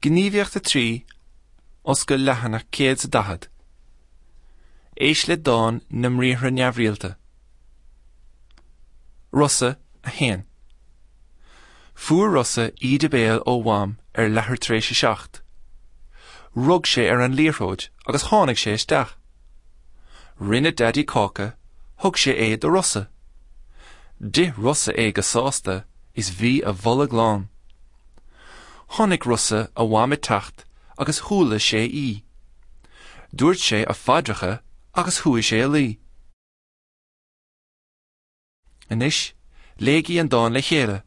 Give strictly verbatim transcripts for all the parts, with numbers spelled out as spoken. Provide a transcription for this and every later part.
Gníomhaíocht a trí, Oscail leathanach céad is a daichead. Éist le dán na mbriathra neamhrialta. Rosa a haon. Fuair Rosa íde béil ó Mham ar leathuair tar éis a seacht. Rug sé ar an liathróid agus tháinig sé isteach. Rinne Daidí cáca, thug sé é do Rosa. D'ith Rosa é go sásta is bhí a bholg lán. Chonaic Rosa a mham ag teacht agus chuala sé í. Dúirt sé a phaidreacha agus chuaigh sé a luí. Anois, léigí an dán le chéile.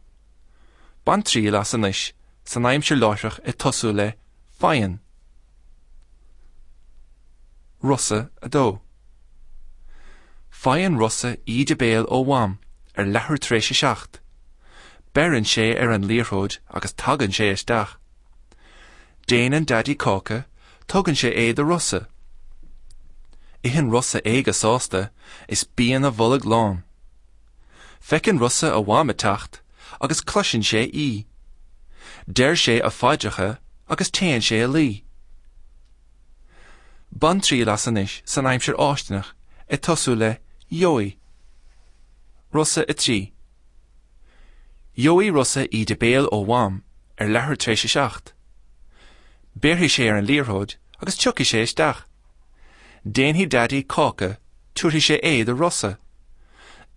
Bain triail as anois san aimsir láithreach ag tosú le Faigheann. Rosa a dó. Faigheann Rosa íde béil ó Mham ar leathuair tar éis a seacht. Beireann sé ar an liathróid agus tagann sé isteach. Déanann Daidí cáca, tugann sé é do Rosa. Itheann Rosa é go sásta is bíonn a bholg lán. Feiceann Rosa a mham ag teacht agus cloiseann sé í. Deir sé a phaidreacha agus téann sé a luí. Bain triail as anois san aimsir fháistineach ag tosú le Gheobhaidh. Rosa a trí. Gheobhaidh Rosa íde béil ó Mham ar leathuair tar éis a seacht. Béarfaidh sé ar an liathróid agus tiocfaidh sé isteach. Déanfaidh Daidí cáca, tabharfaidh sé é do Rosa.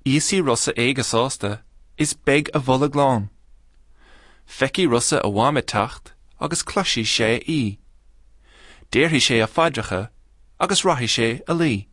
Íosfaidh Rosa é go sásta, is beidh a bholg lán. Feicfidh Rosa a mham ag teacht agus cloisfidh sé í. Déarfaidh sé a phaidreacha agus rachaidh sé a luí.